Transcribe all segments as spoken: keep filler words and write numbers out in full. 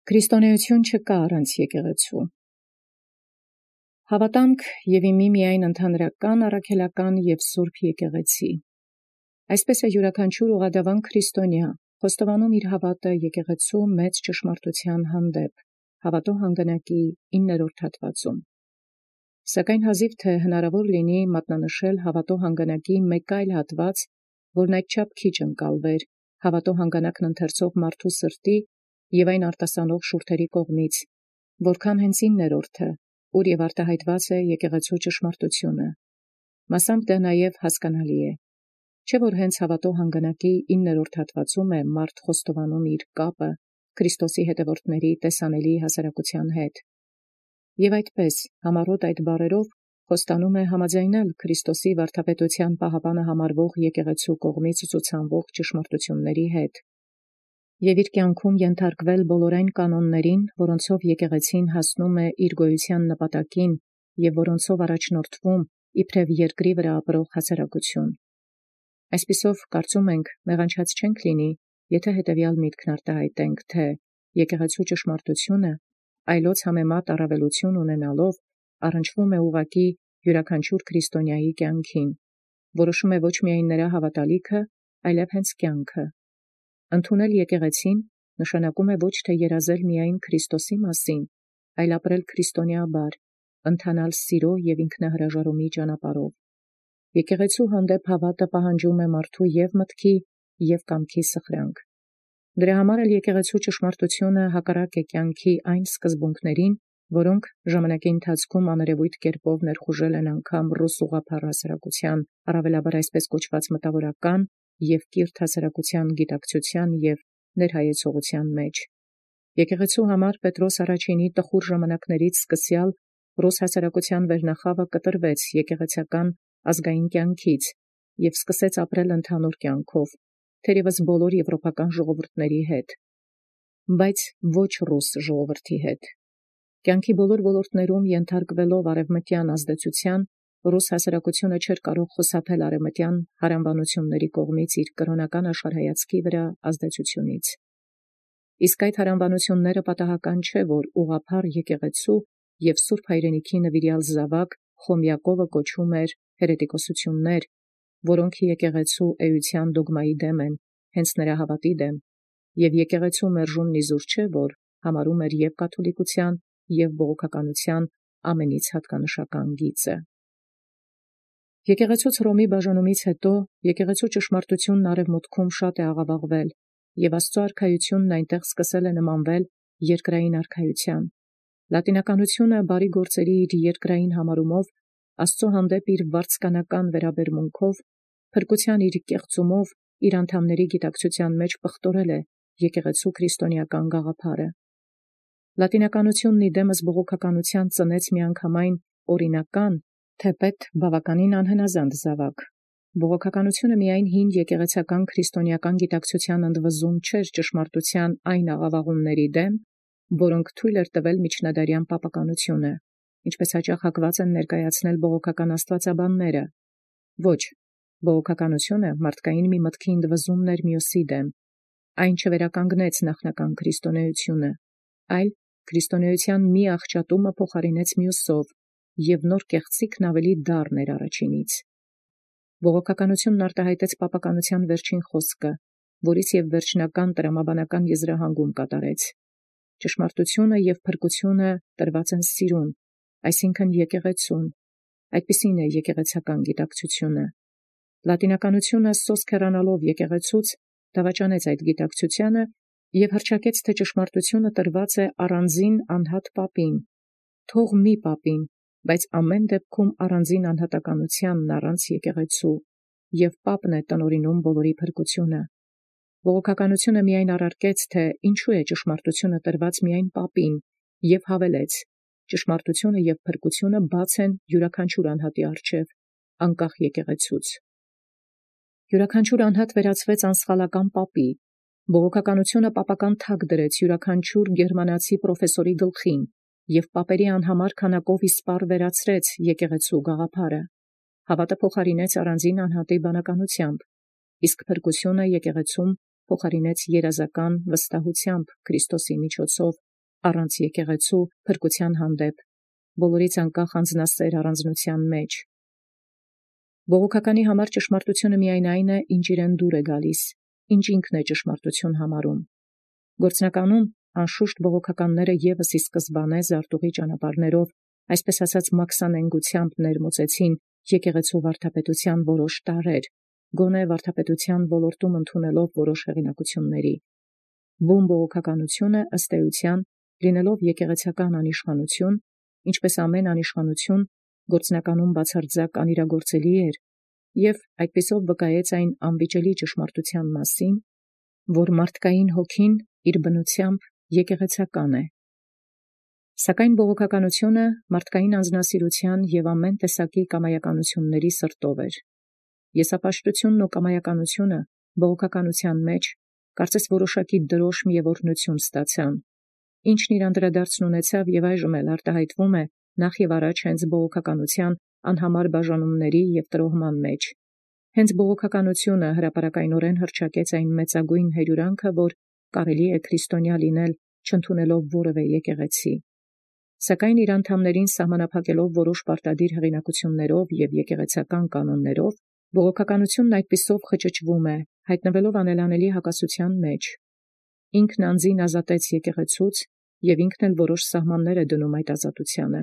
Քրիստոնեություն չկա առանց եկեղեցու։ Հավատամք եւ իմի միայն ընդհանրական, առաքելական եւ սուրբ եկեղեցի։ Այսպես է յուրաքանչյուր ուղղադավան քրիստոնյա խոստովանում իր հավատը եկեղեցու մեծ ճշմարտության հանդեպ, հավատո հանգանակի իններորդ հատվածում։ Սակայն հազիվ թե հնարավոր լինի մատնանշել հավատո հանգանակի մեկ այլ հատված, որն այդչափ քիչ ընկալվեր հավատո հանգանակն ընթերցող մարդու սրտի եւ այն արտասանող շուրթերի կողմից, որքան հենց իններորդը, ուր եւ արտահայտված է եկեղեցու ճշմարտությունը։ Մասամբ դա նաեւ հասկանալի է, չէ՞ որ հենց հավատո հանգանակի իններորդ հատվածում է մարդ խոստովանում իր կապը Քրիստոսի հետևորդների տեսանելի հասարակության հետ, եւ այդպես համառոտ այդ բառերով խոստանում է համաձայնել Քրիստոսի վարդապետության պահապանը համարվող եկեղեցու կողմից ցուցանվող ճշմարտությունների հետ, եւ իր կյանքում ենթարկվել բոլոր այն կանոններին, որոնցով եկեղեցին հասնում է իր գոյության նպատակին եւ որոնցով առաջնորդվում իբրև երկրի վրա ապրող հասարակություն։ Այսպիսով կարծում ենք, մեղանչած չենք լինի, եթե հետևյալ միտքն արտահայտենք, թե եկեղեցու ճշմարտությունը այլոց համեմատ առավելություն ունենալով առնչվում է ուղղակի յուրաքանչյուր քրիստոնյայի կյանքին, որոշում է ոչ միայն նրա հավատալիքը, այլև հենց կյանքը։ Ընդունել եկեղեցին նշանակում է ոչ թե երազել միայն Քրիստոսի մասին, այլ ապրել քրիստոնեաբար, ընթանալ սիրո եւ ինքնահրաժարումի ճանապարհով։ Եկեղեցու հանդեպ հավատը պահանջում է մարդու եւ մտքի եւ կամքի սխրանք։ Դրա համար էլ եկեղեցու ճշմարտությունը հակառակ է կյանքի այն սկզբունքներին, որոնք ժամանակի ընթացքում աներևույթ կերպով ներխուժել են անգամ ռուս ուղղափառ հասարակության, առավելաբար այսպես կոչված մտավորական եւ կիրթ հասարակության գիտակցության եւ ներհայեցողության մեջ։ Եկեղեցու համար Պետրոս առաջինի տխուր ժամանակներից սկսյալ ռուս հասարակության վերնախավը կտրվեց եկեղեցական ազգային կյանքից եւ սկսեց ապրել ընդհանուր կյանքով, թերևս բոլոր եվրոպական ժողովուրդների հետ, բայց ոչ ռուս ժողովրդի հետ։ Կյանքի բոլոր ոլորտներում ենթարկվելով արևմտյան ազդեցության, ռուս հասարակությունը չէր կարող խուսափել արևմտյան հարանվանությունների կողմից իր կրոնական աշխարհայացքի վրա ազդեցությունից։ Իսկ այդ հարանվանությունները պատահական չէ, որ ուղղափառ եկեղեցու եւ Սուրբ Հայրենիքի նվիրյալ զավակ Խոմյակովը կոչում էր հերետիկոսություններ, որոնք եկեղեցու էության դոգմայի դեմ են, հենց նրա հավատի դեմ, եւ եկեղեցու մերժումն իզուր չէ, որ համարում էր եւ կաթոլիկության եւ բողոքականության ամենից հատկանշական գիծը։ Եկեղեցուց Հռոմի բաժանումից հետո եկեղեցու ճշմարտությունն արևմուտքում շատ է աղավաղվել, եւ Աստծո արքայությունն այնտեղ սկսել է նմանվել երկրային արքայության։ Լատինականությունը բարի գործերի իր երկրային համարումով, Աստծո հանդեպ իր վարձկանական վերաբերմունքով, փրկության իր կեղծումով, իր անդամների գիտակցության մեջ պղտորել է եկեղեցու քրիստոնեական գաղափարը։ Լատինականությունն իդեմս բողոքականության ծնեց միանգամայն օրինական, թեպետ բավականին անհնազանդ զավակ։ Բողոքականությունը միայն հին եկեղեցական քրիստոնեական գիտակցության ընդվզում չէր ճշմարտության այն աղավաղումների դեմ, որոնք թույլ էր տվել միջնադարյան պապականությունը, ինչպես հաճախ հակված են ներկայացնել բողոքական աստվածաբանները։ Ոչ, բողոքականությունը մարդկային մի մտքի ընդվզումն էր մյուսի դեմ։ Այն չվերականգնեց նախնական քրիստոնեությունը, այլ քրիստոնեության մի աղճատումը փոխարինեց մյուսով, եւ նոր կեղծիքն ավելի դառն էր առաջինից։ Բողոքականությունն արտահայտեց պապականության վերջին խոսքը, որից եւ վերջնական տրամաբանական եզրահանգում կատարեց։ Ճշմարտությունը եւ փրկությունը տրված են սիրուն, այսինքն եկեղեցուն։ Այդպիսին է եկեղեցական գիտակցությունը։ Լատինականությունը սոսկ հեռանալով եկեղեցուց դավաճանեց այդ գիտակցությանը եւ հռչակեց, թե ճշմարտությունը տրված է առանձին անհատ պապին, թող մի պապին, բայց ամեն դեպքում առանձին անհատականությանն առանց եկեղեցու, եւ պապն է տնօրինում բոլորի փրկությունը։ Բողոքականությունը միայն առարկեց, թե ինչու է ճշմարտությունը տրված միայն պապին, եւ հավելեց. ճշմարտությունը եւ փրկությունը բաց են յուրաքանչյուր անհատի առջև, անկախ եկեղեցուց։ Յուրաքանչյուր անհատ վերածվեց անսխալական պապի։ Բողոքականությունը պապական թագ դրեց յուրաքանչյուր գերմանացի պրոֆեսորի գլխին եւ պապերի անհամար քանակով իսպառ վերացրեց եկեղեցու գաղափարը։ Հավատը փոխարինեց առանձին անհատի բանականությամբ, իսկ փրկությունը եկեղեցում փոխարինեց երազական վստահությամբ Քրիստոսի միջոցով առանց եկեղեցու փրկության հանդեպ, բոլորից անկախ անձնասեր առանձնության մեջ։ Բողոքականի համար ճշմարտությունը միայն այն է, ինչ իրեն դուր է գալիս, ինչ ինքն է ճշմարտություն համարում։ Գործնականում անշուշտ բողոքականները ևս ի սկզբանե զարտուղի ճանապարհներով, այսպես ասած մաքսանենգությամբ ներմուծեցին եկեղեցու վարդապետության որոշ տարրեր, գոնե վարդապետության ոլորտում ընդունելով որոշ հեղինակությունների։ Բուն բողոքականությունը ըստ էության, լինելով եկեղեցական անիշխանություն, ինչպես ամեն անիշխանություն, գործնականում բացարձակ անիրագործելի էր, և այդպիսով վկայեց այն անվիճելի ճշմարտության մասին, որ մարդկային հոգին իր բնությամբ եկեղեցական է։ Սակայն բողոքականությունը մարդկային անձնասիրության և ամեն տեսակի կամայականությունների սրտով էր։ Եսապաշտությունն ու կամայականությունը բողոքականության մեջ կարծես որոշակի դրոշմ և օրհնություն ստացան, ինչն իր անդրադարձն ունեցավ և այժմ էլ արտահայտվում է նախ և առաջ հենց բողոքականության անհամար բաժանումների և տրոհման մեջ։ Հենց բողոքականությունը հրապարակայնորեն հռչակեց այն մեծագույն հերյուրանքը, որ կարելի է քրիստոնյա լինել չընդունելով որևէ եկեղեցի։ Սակայն իր անդամներին սահմանափակելով որոշ պարտադիր հեղինակություններով և եկեղեցական կանոններով, բողոքականությունն այդպիսով խճճվում է, հայտնվելով անելանելի հակասության մեջ։ Ինքն անձին ազատեց եկեղեցուց և ինքն էլ որոշ սահմաններ է դնում այդ ազատությանը։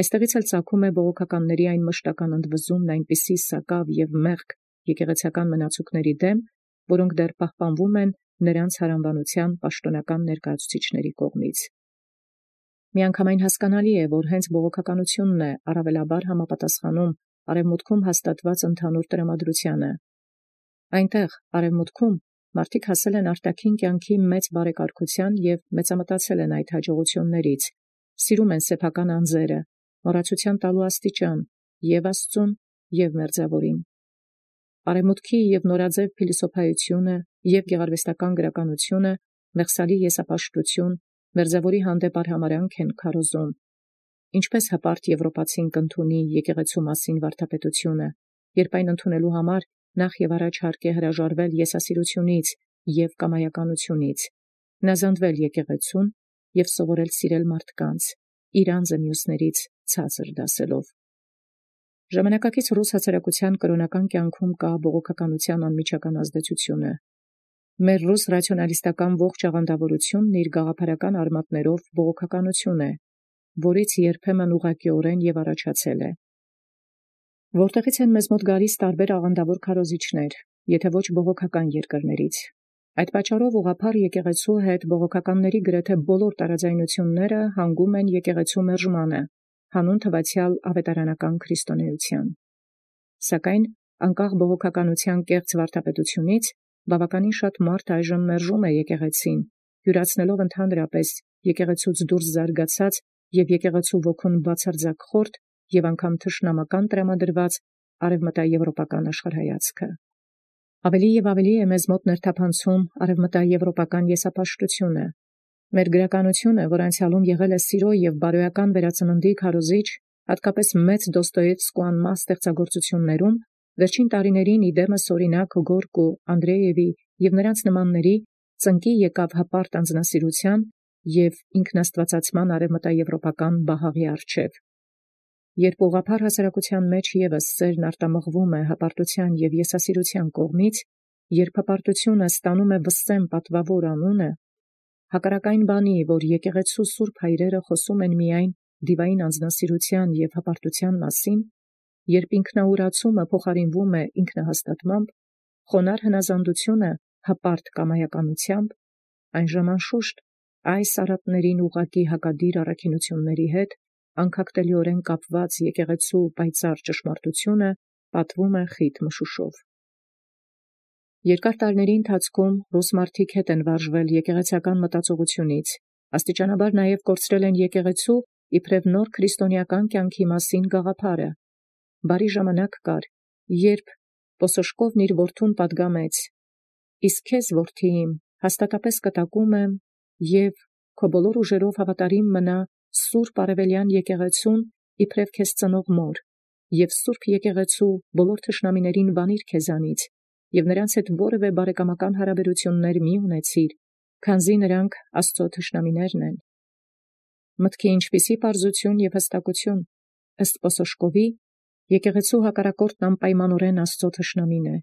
Այստեղից էլ ծագում է բողոքականների այն մշտական ընդվզումն այնպիսի սակավ և մեղք եկեղեցական մնացուկների դեմ, որոնք դեռ պահպանվում են նրանց հարանվանության պաշտոնական ներկայացուցիչների կողմից։ Միանգամայն հասկանալի է, որ հենց բողոքականությունն է առավելաբար համապատասխանում արևմուտքում հաստատված ընդհանուր տրամադրությանը։ Այնտեղ, արևմուտքում, մարդիկ հասել են արտաքին կյանքի մեծ բարեկարգության և մեծամտածել են այդ հաջողություններից, սիրում են սեփական անձերը, մոռացության տալու աստիճան և Աստծուն, և մերձավորին։ Արևմուտքի և նորաձև փիլիսոփայությունը և գեղարվեստական գրականությունը մեղսալի եսապաշտություն, մերձավորի հանդեպ արհամարհանք են քարոզում։ Ինչպես հպարտ եվրոպացին կընդունի եկեղեցու մասին վարդապետությունը, երբ այն ընդունելու համար նախ և առաջ հարկ է հրաժարվել եսասիրությունից և կամայականությունից, հնազանդվել եկեղեցուն և սովորել սիրել մարդկանց, իր անձը մյուսներից ցածր դասելով։ Ժամանակակից ռուս հասարակության կրոնական կյանքում կա բողոքականության անմիջական ազդեցությունը։ Մեր ռուս ռացիոնալիստական ողջ աղանդավորությունն իր գաղափարական արմատներով բողոքականություն է, որից երբեմն ուղղակիորեն և առաջացել է։ Որտեղից են մեզ մոտ գալիս տարբեր աղանդավոր քարոզիչներ, եթե ոչ բողոքական երկրներից։ Այդ պատճառով ուղղափառ եկեղեցու հետ բողոքականների գրեթե բոլոր տարաձայնությունները հանգում են եկեղեցու մերժմանը, հանուն թվացյալ ավետարանական քրիստոնեության։ Սակայն անկախ բողոքականության կեղծ վարդապետությունից բավականին շատ մարդ այժմ մերժում է եկեղեցին, յուրացնելով ընդհանրապես եկեղեցուց դուրս զարգացած և եկեղեցու ոգուն բացարձակ խորտ և անգամ թշնամական տրամադրված արևմտաեվրոպական աշխարհայացքը։ Ավելի և ավելի է մեզ մոտ ներթափանցում արևմտաեվրոպական եսապաշտությունը։ Մեր գրականությունը, որ անցյալում եղել է սիրո և բարոյական վերածննդի քարոզիչ, հատկապես մեծ Դոստոևսկու անմահ ստեղծագործություններում, վերջին տարիներին իդեմս օրինակ Գորկու, Անդրեևի և նրանց նմանների ծնկի եկավ հպարտ անձնասիրության և ինքնաստվածացման արևմտաեվրոպական բահաղի առջև։ Երբ ուղղափառ հասարակության մեջ ևս սերն արտամղվում է հպարտության և եսասիրության կողմից, երբ հպարտությունը ստանում է վսեմ պատվավոր անունը, հակառակ այն բանի, որ եկեղեցու սուրբ հայրերը խոսում են միայն դիվային անձնասիրության և հպարտության մասին, երբ ինքնաուրացումը փոխարինվում է ինքնահաստատմամբ, խոնարհ հնազանդությունը հպարտ կամայականությամբ, այժմ անշուշտ այս արատներին ուղղակի հակադիր առաքինությունների հետ անքակտելիորեն կապված եկեղեցու պայծառ ճշմարտությունը պատվում է խիտ մշուշով։ Երկար տարիների ընթացքում ռուս մարդիկ հետ են վարժվել եկեղեցական մտածողությունից, աստիճանաբար նաև կորցրել են եկեղեցու իբրև նոր քրիստոնեական կյանքի մասին գաղափարը։ Բարի ժամանակ կար, երբ Պոսոշկովն իր որդուն պատգամեց. «Իսկ քեզ, որդի իմ, հաստատապես կտակում եմ և քո բոլոր ուժերով հավատարիմ մնա Սուրբ Արևելյան եկեղեցուն իբրև քեզ ծնող մոր, և Սուրբ եկեղեցու բոլոր թշնամիներին վանիր քեզանից, և նրանց հետ որևէ բարեկամական հարաբերություններ մի ունեցիր, քանզի նրանք Աստծո թշնամիներն են։ Մտքի ինչպիսի պարզություն և հստակություն, ըստ Պոսոշկովի, եկեղեցու հակառակորդն անպայմանորեն Աստծո թշնամին է։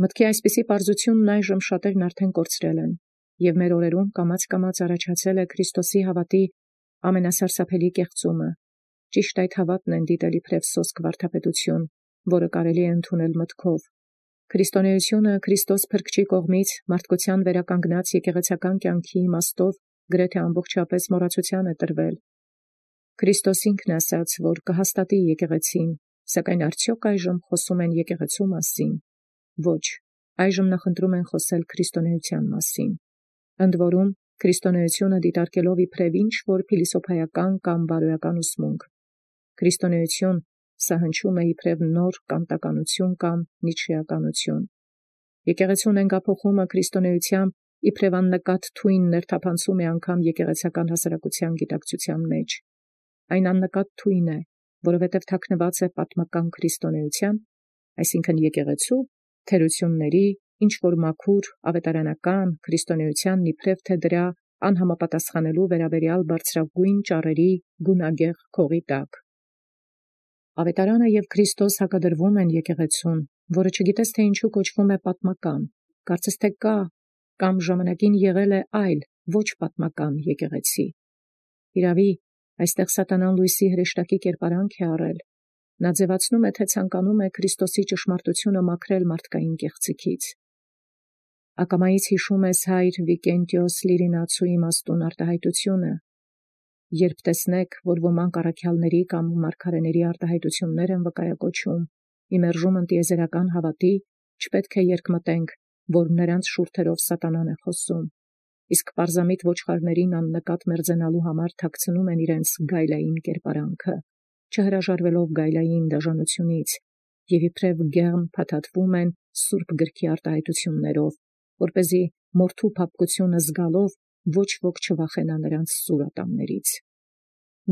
Մտքի այսպիսի պարզությունն այժմ շատերն արդեն կորցրել են, և մեր օրերում կամաց-կամաց առաջացել է Քրիստոսի հավատի ամենասարսափելի կեղծումը։ Ճիշտ այդ հավատն են դիտել իբրև սոսկ վարդապետություն, որը կարելի է ընդունել մտքով։ Քրիստոնեությունը Քրիստոս Փրկչի կողմից մարդկության վերականգնած եկեղեցական կյանքի իմաստով գրեթե ամբողջապես մոռացության է տրվել։ Քրիստոս ինքն ասաց, որ կհաստատի եկեղեցին, սակայն արդյոք այժմ խոսում են եկեղեցու մասին։ Ոչ, այժմ նախընտրում են խոսել քրիստոնեության մասին։ Ընդ որում, քրիստոնեությունը դիտարկելով իբրև ինչ-որ փիլիսոփայական կամ բարոյական ուսմունք։ Քրիստոնեություն սա հնչում է իբրև նոր կանտականություն կամ նիցշեականություն։ Եկեղեցու նենգափոխումը քրիստոնեությամբ իբրև աննկատ թույն ներթափանցում է անգամ եկեղեցական հասարակության գիտակցության մեջ։ Այն աննկատ թույն է, որովհետև թաքնված է պատմական քրիստոնեության, այսինքն եկեղեցու թերությունների, ինչ-որ մաքուր ավետարանական քրիստոնեությանն իբրև թե դրա անհամապատասխանելու վերաբերյալ բարձրագույն ճառերի գունագեղ քողի տակ։ Ավետարանը և Քրիստոս հակադրվում են եկեղեցուն, որը չգիտես թե ինչու կոչվում է պատմական, կարծես թե կա կամ ժամանակին եղել է այլ, ոչ պատմական եկեղեցի։ Իրավի, այստեղ սատանան լույսի հրեշտակի կերպարանք է առել։ Նա ձևացնում է, թե ցանկանում է Քրիստոսի ճշմարտությունը մաքրել մարդկային կեղծիքից։ Ակամայից հիշում ես հայր Վիկենտիոս Լիրինացու իմաստուն արտահայտությունը։ Երբ տեսնեք, որ ոմանք առաքյալների կամ մարգարեների արտահայտություններ են վկայակոչում, իմերժում ընտիեզերական հավատի, չպետք է երկմտենք, որ նրանց շուրթերով սատանան է խոսում, իսկ պարզամիտ ոչխարներին աննկատ մերձենալու համար թաքցնում են իրենց գայլային կերպարանքը, չհրաժարվելով գայլային դաժանությունից, և իբրև գեղմ փաթաթվում են Սուրբ գրքի արտահայտություններով, որպեսզի մորթու փափկությունը զգալով ոչ ոք չվախենա նրանց սուր ատամներից։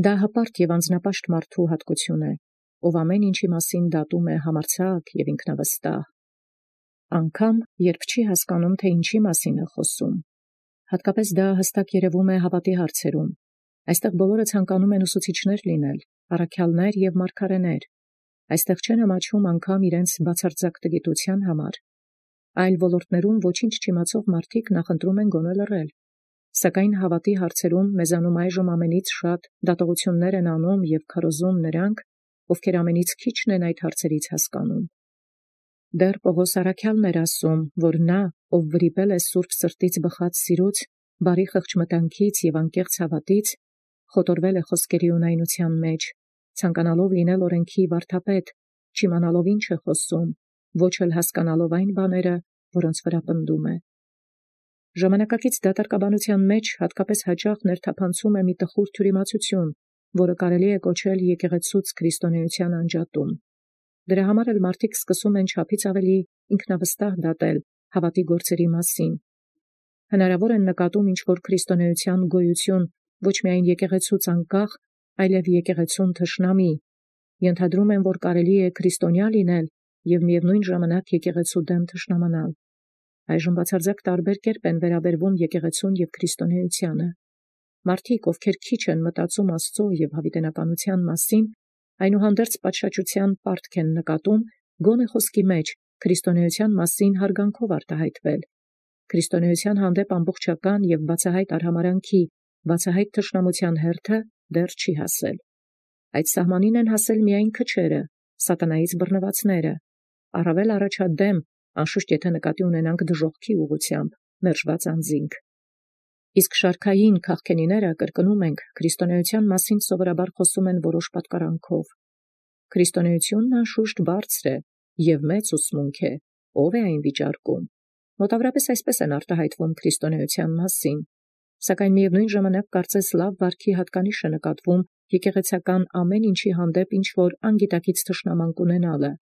Դա հպարտ և անձնապաշտ մարդու հատկություն է, ով ամեն ինչի մասին դատում է համարձակ և ինքնավստահ, անգամ երբ չի հասկանում, թե ինչի մասին է խոսում։ Հատկապես դա հստակ երևում է հավատի հարցերում։ Այստեղ բոլորը ցանկանում են ուսուցիչներ լինել, առաքյալներ և մարգարեներ։ Այստեղ չեն ամաչում անգամ իրենց բացարձակ տգիտության համար։ Այլ ոլորտներում ոչինչ չիմացող մարդիկ նախընտրում են գոնե լռել։ Սակայն հավատի հարցերում մեզանում այժմ ամենից շատ դատողություններ են անում և քարոզում նրանք, ովքեր ամենից քիչն են այդ հարցերից հասկանում։ Դեռ Պողոս առաքյալն էր ասում, որ նա, ով վրիպել է սուրբ սրտից բխած սիրուց, բարի խղճմտանքից և անկեղծ հավատից, խոտորվել է խոսքերի ունայնության մեջ, ցանկանալով լինել օրենքի վարդապետ, չիմանալով ինչ է խոսում, ոչ էլ հասկանալով այն բաները, որոնց վրա պնդում է։ Ժամանակակից դատարկաբանության մեջ հատկապես հաճախ ներթափանցում է մի տխուր թյուրիմացություն, որը կարելի է կոչել եկեղեցուց քրիստոնեության անջատում։ Դրա համար էլ մարդիկ սկսում են չափից ավելի ինքնավստահ դատել հավատի գործերի մասին։ Հնարավոր են նկատում ինչ-որ քրիստոնեության գոյություն ոչ միայն եկեղեցուց անկախ, այլև եկեղեցուն թշնամի, ենթադրում են, որ կարելի է քրիստոնյա լինել և միևնույն ժամանակ եկեղեցու դեմ թշնամանալ։ Այժմ բացարձակ տարբեր կերպ են վերաբերվում եկեղեցուն և քրիստոնեությանը։ Մարդիկ, ովքեր քիչ են մտածում Աստծո և հավիտենականության մասին, այնուհանդերձ պատշաճության պարտք են նկատում գոնե խոսքի մեջ քրիստոնեության մասին հարգանքով արտահայտվել։ Քրիստոնեության հանդեպ ամբողջական և բացահայտ արհամարհանքի, բացահայտ թշնամության հերթը դեռ չի հասել։ Այդ սահմանին են հասել միայն քչերը, սատանայից բռնվածները, առավել առաջադեմ, անշուշտ եթե նկատի ունենանք դժոխքի ուղղությամբ, մերժված անձինք։ Իսկ շարքային քաղքենիները, կրկնում ենք, քրիստոնեության մասին սովորաբար խոսում են որոշ պատկարանքով։ Քրիստոնեությունն անշուշտ բարձր է և մեծ ուսմունք է, ով է այն վիճարկում։ Մոտավորապես այսպես են արտահայտվում քրիստոնեության մասին, սակայն միևնույն ժամանակ կարծես լավ վարքի հատկանիշ է նկատվում եկեղեցական ամեն ինչի հանդեպ ինչ-որ անգիտակից թշնամանք ունենալը,